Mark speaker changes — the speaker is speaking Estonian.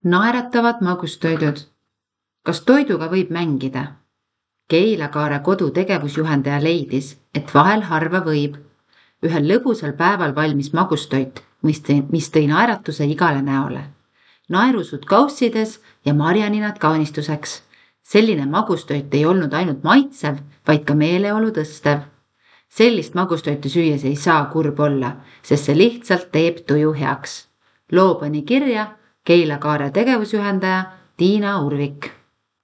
Speaker 1: Naeratavad magustoidud. Kas toiduga võib mängida? Keilakaare kodu tegevusjuhendaja leidis, et vahel harva võib. Ühel lõbusal päeval valmis magustoit, mis tõi naeratuse igale näole. Naerusud kaussides ja marjaninad kaunistuseks. Selline magustoit ei olnud ainult maitsev, vaid ka meeleolu tõstev. Sellist magustoitu süües ei saa kurb olla, sest see lihtsalt teeb tuju heaks. Loo pani kirja Keilakaare tegevusjuhendaja Tiina Urvik.